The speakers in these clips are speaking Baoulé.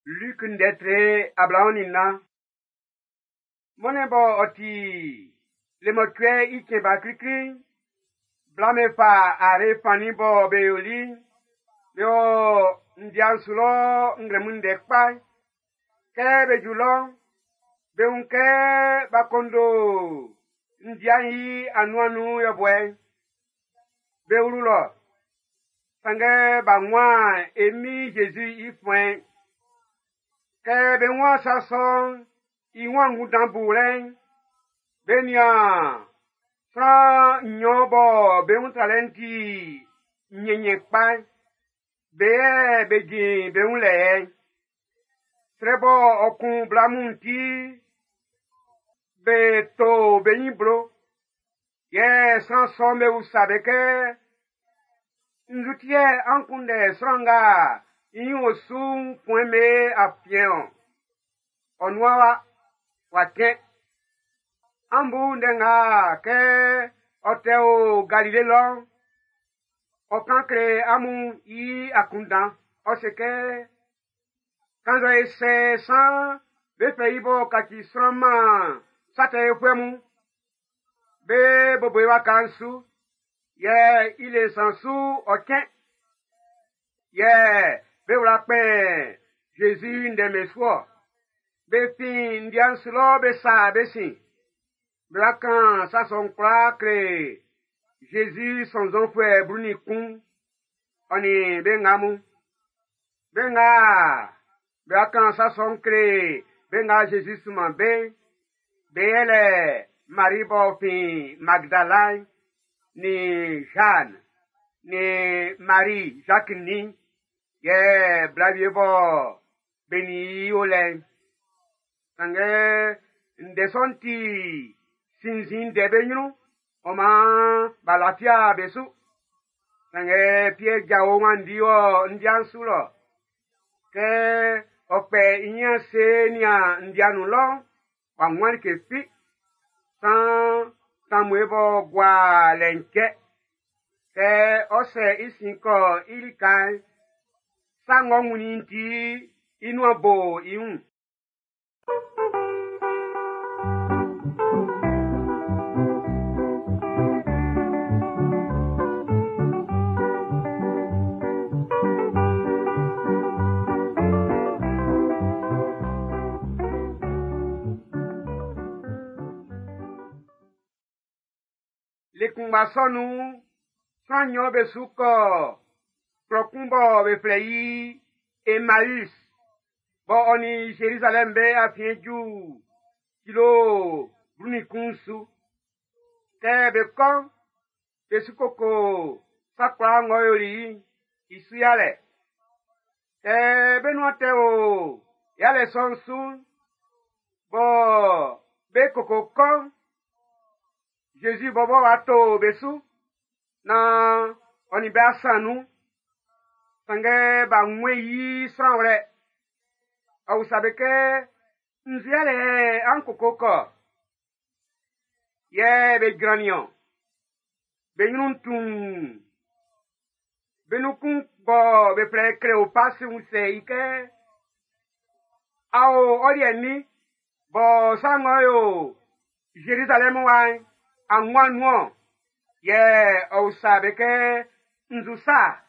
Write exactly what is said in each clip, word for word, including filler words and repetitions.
Luc ndɛ tre ablaɔn nin nnan. Mɔnnɛn bɔ ɔ ti le mɔcuɛ i cɛn ba klikli'n, bla'm be fa are fannin bɔ be yoli'n, be wɔ ndia'n su lɔ nglɛmun ndɛ kpa. Kɛ be ju lɔ'n, be wun kɛ b'a kondo ndia'n i anuan'n nun yɔbuɛ'n. Be wlu lɔ, sanngɛ b'a wunman e Min Jésus i fuɛn'n. Kɛ be wun sa sɔ'n i wun angunndan bulɛ'n, be nian sran nnyɔn bɔ be wun tralɛ'n ti nyɛnnyɛn kpa'n, be yɛ be jin be wun lɛ yɛ. Srɛ bɔ ɔ kun bla mun ti, be to be nyin blo. Yɛ sran sɔ'm be usa be kɛ, nzu ti yɛ an kunndɛ sran nga i nyin o su'n fuɛn'm be afiɛn-ɔn? Ɔ nuan wa, wa cɛn. An bu ndɛ nga kɛ ɔ tɛ o Galile lɔ'n, ɔ kan kle amun i akunndan. Ɔ se kɛ, kannzɛ e sɛ san be fɛ i b'ɔ kaci sran man sa tɛ yofuɛ mun, be bobo i waka'n su, yɛ i le nsan su ɔ cɛn. Yɛ be wla kpɛn Jésus ndɛ'm be su-ɔ. Be fin ndia'n su lɔ be sa be sin. Be wa kan sa sɔ'n kwlaa kle Jésus sɔnnzɔnfuɛ blu nin kun, ɔ nin be nga mun. Be nga be wa kan sa sɔ'n kle be nga Jésus sunman be'n, be yɛlɛ Marie b'ɔ fin Magdala'n, nin Jeanne, nin Marie Jacques nin, yɛ bla wie bɔ be nin i o lɛ'n. Sanngɛ ndɛ sɔ'n ti sinnzin ndɛ be nyrun, ɔ maan b'a lafia be su. Sanngɛ Pierre jao wanndi wɔ ndia'n su lɔ. Kɛ ɔ kpɛ i nyin ase nian ndia nun lɔ'n, w'a wunman like fi. San tanmue b'ɔ gua lɛ'n cɛ. Kɛ ɔ sɛ i sin kɔ i lika'n, sa ng'ɔ wunnin ti i nuan bo i wun. Le kunngba sɔ nun'n, sran nnyɔn be su kɔ klɔ kun bɔ be flɛ i Emmaüs, bɔ ɔ nin Jérusalem be afiɛn ju kilo blu nin kun su. Kɛ be kɔ'n, be su koko sa kwlaa ng'ɔ yoli'n i su yalɛ. Kɛ be nuan tɛ o yalɛ sɔ'n su'n, bɔ be koko kɔ'n, Jésus bɔbɔ wa to be su, nan ɔ nin be asan nun. Sanngɛ b'a wun i sran wlɛ. Ɔ usa be kɛ, nzu yalɛ an koko kɔ? Yɛ be jrannin-ɔn. Be nyrun tuun. Be nun kun bɔ be flɛ Kleopas usɛ i kɛ, a o ɔ liɛ nin bɔ sa ng'ɔ yo Jérusalem wa'n, a wun nun-ɔn? Yɛ ɔ usa be kɛ, nzu sa?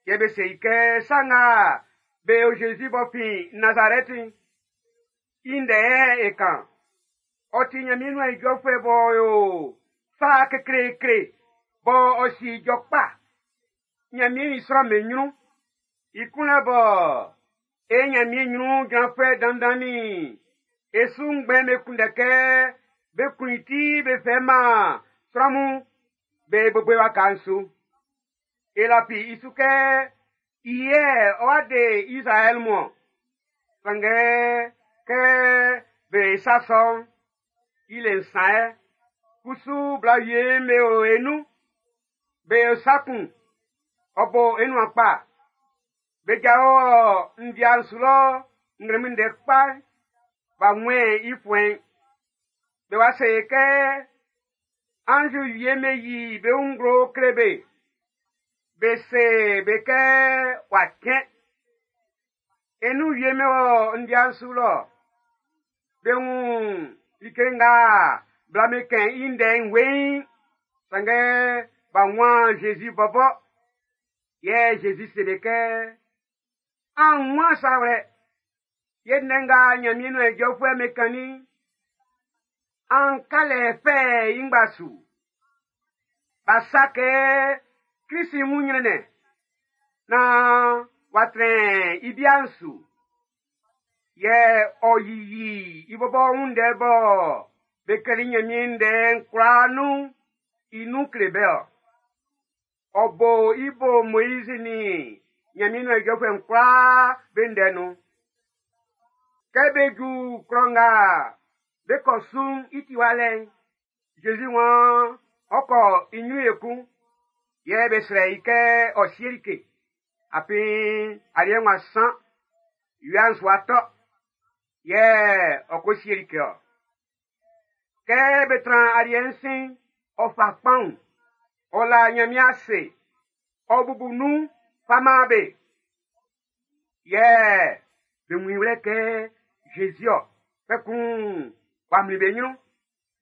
Yɛ be se i kɛ, sa nga be o Jésus b'ɔ fin Nazarɛti'n, i ndɛ yɛ e kan. Ɔ ti Nyanmiɛn nuan ijɔfuɛ b'ɔ yo sa kekleekle bɔ ɔ si ijɔ kpa. Nyanmiɛn i sran'm be nyrun. I kunlɛ bɔ e Nyanmiɛn nyrun jranfuɛ dandan nin e su ngbɛn be kunndɛ kɛ be kun i ti be fɛ man sran mun be bobo i waka'n su. E lafi i su kɛ i yɛ ɔ wa de Israɛl mun-ɔn. Sanngɛ kɛ be sa sɔ'n, i le nsan yɛ. Kusu bla wie'm be o e nun. Be o sa kun, ɔ bo e nuan kpa. Be jao ndia'n su lɔ nglɛmun ndɛ kpa, b'a wun i fuɛn'n. Be wa se kɛ anzu wie me yi be wun nglo kle be. Be se be kɛ w'a cɛn. E nun wie me wɔ ndia'n su lɔ. Be wun like nga bla'm be kɛn i ndɛ'n weiin, sanngɛ b'a wunman Zezi bɔbɔ. Yɛ Zezi se be kɛ, “An wunman sa wlɛ, yɛ ndɛ nga Ɲanmiɛn nuan ijɔfuɛ'm be kannin'n, an ka lɛ fɛ i ngba su. B'a sa kɛ Klisi wun ɲrɛnnɛn, naan w'a trɛn i bia'n su. Yɛ ɔ yiyi i bɔbɔ wun ndɛ bɔ be klɛli Ɲanmiɛn ndɛ'n kwlaa nun'n i nun kle be ɔ. Ɔ bo i bo Moizi nin Ɲanmiɛn nuan ijɔfuɛ'n kwlaa be ndɛ nun. Kɛ be ju klɔ nga be kɔ su'n i tiwa lɛ'n, Zezi waan ɔ kɔ i ɲrun ekun. Yɛ be srɛ i kɛ ɔ sie like. Afin aliɛ ng'ɔ san, wia'n su atɔ. Yɛ ɔ ko sie like ɔ. Kɛ be tran aliɛ'n sin'n, ɔ fa kpanwun, ɔ la Ɲanmiɛn ase, ɔ bubu nun fa man be. Yɛ be wun i wlɛ kɛ Zezi ɔ, kpɛkun w'a mlin be ɲrun.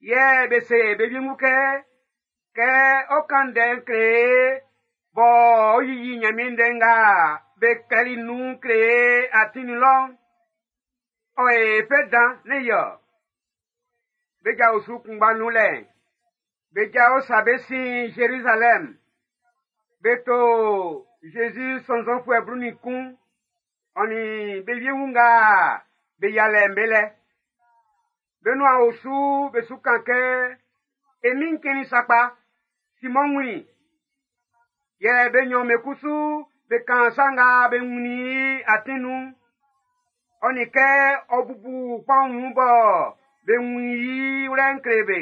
Yɛ be se be wiengu kɛ, kɛ ɔ kan ndɛ'n kle e bɔ ɔ yiyi Ɲanmiɛn ndɛ nga be klɛli nun kle e atin nun lɔ'n, ɔ e fɛ dan ne yɔ. Be ja osu kunngba nun lɛ'n, be ja o sa be sin Zerizalɛm. Be to Zezi sɔnnzɔnfuɛ blu nin kun, ɔ nin be wiengu nga be yia lɛ'n be lɛ. Be nuan o su be su kan kɛ, “E Min'n cɛnnin sakpa, Simɔn wunnin i.” Yɛ be nɲɔn be kusu be kan sa nga be wunnin i atin nun'n, ɔ nin kɛ ɔ bubu kpanwun bɔ be wun i wlɛ'n kle be.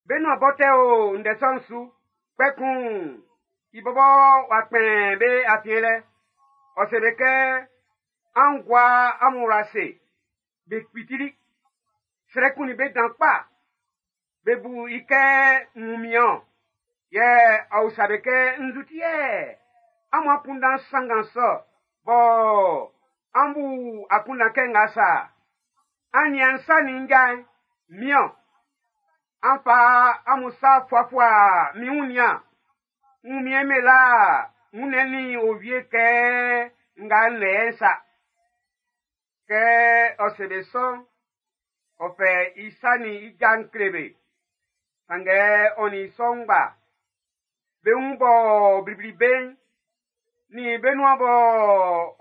Be nuan bɔ tɛ o ndɛ sɔ'n su, kpɛkun i bɔbɔ w'a kpɛn be afiɛn lɛ. Ɔ se be kɛ, “An gua amun wla ase.” Be kpitili. Srɛ kunnin be dan kpa. Be bu i kɛ wunmiɛn Yɛ ɔ usa be kɛ, “Nzu ti yɛ amun akunndan sanngan sɔ bɔ an bu akunndan kɛ nga sa? An nian n sa nin n ja'n, min-ɔn. An fa amun sa fuafua min wun nian. Wunmiɛn me la wunnɛn nin owie kɛ nga n lɛ yɛ'n sa.” Kɛ ɔ se be sɔ'n, ɔ fɛ i sa nin i ja'n kle be. Sanngɛ ɔ nin i sɔ'n ngba, be wun bɔ blibli be'n, nin be nuan bɔ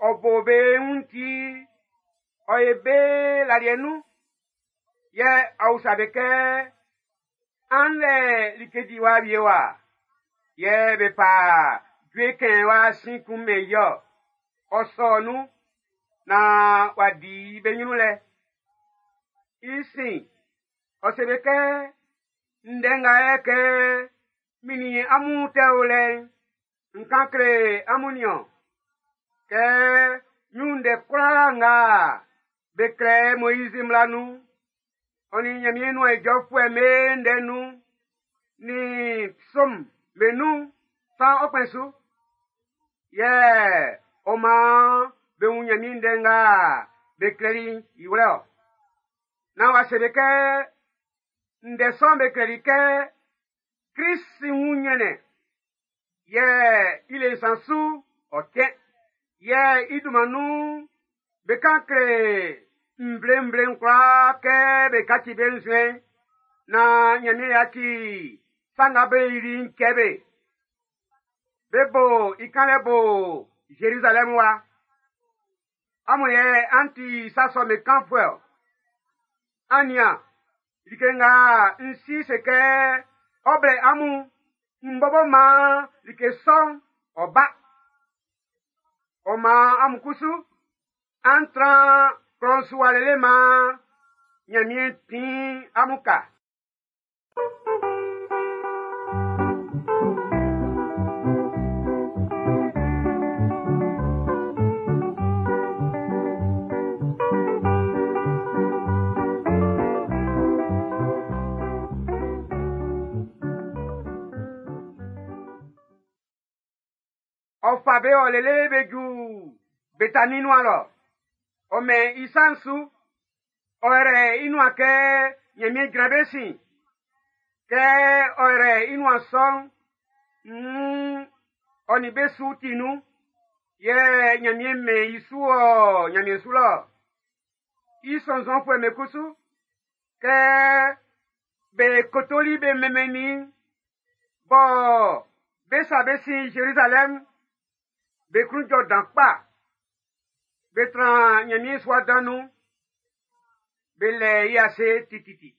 ɔ bo be wun ti, ɔ ye be laliɛ nun. Yɛ ɔ usa be kɛ, “An lɛ like diwa wie wa?” Yɛ be fa jue kɛn wa sin kun mɛn i ɔ. Ɔ sɔ nun naan w'a di be ɲrun lɛ. I sin, ɔ se be kɛ, “Ndɛ nga yɛ kɛ min nin amun tɛ o lɛ'n, n kan kle amun nin-ɔn. Kɛ min wun ndɛ kwlaa nga be klɛ Moizi mmla nun'n, ɔ nin Ɲanmiɛn nuan ijɔfuɛ'm be ndɛ nun'n, nin psɔm'm be nun'n, saan ɔ kpɛn su.” Yɛ ɔ maan be wun Ɲanmiɛn ndɛ nga be klɛli'n i wlɛ ɔ. Naan w'a se be kɛ, ndɛ sɔ'n be klɛli kɛ Klist wun ɲrɛnnɛn, yɛ i le nsan su ɔ cɛn. Yɛ i dunman nun'n, be kan kle nvlenvle'n kwlaa kɛ be kaci be nzuɛn'n, naan Ɲanmiɛn yaci sa nga be yili'n cɛ be. Be bo i kanlɛ bo Zerizalɛmu wa. Amun yɛ an ti sa sɔ'm be kanfuɛ ɔ. An nian, like nga n si se kɛ ɔ blɛ amun, n bɔbɔ maan like sɔ'n ɔ ba. Ɔ maan amun kusu, an tran klɔ'n su wa lele maan Ɲanmiɛn tin amun ka. Ɔ fa be ɔ lele be ju Betani nuan lɔ. Ɔ mɛn i sa'n su. Ɔ yrɛ i nuan kɛ Ɲanmiɛn jran be sin. Kɛ ɔ yrɛ i nuan sɔ'n, nn ɔ nin be su ti nun. Yɛ Ɲanmiɛn mɛn i su ɔ Ɲanmiɛn su lɔ. I sɔnnzɔnfuɛ'm be kusu, kɛ be kotoli be mɛnmɛnnin bɔ be sa be sin Zerizalɛm, be klun jɔ dan kpa. Be tran Ɲanmiɛn sua dan nun. Be lɛ i ase tititi.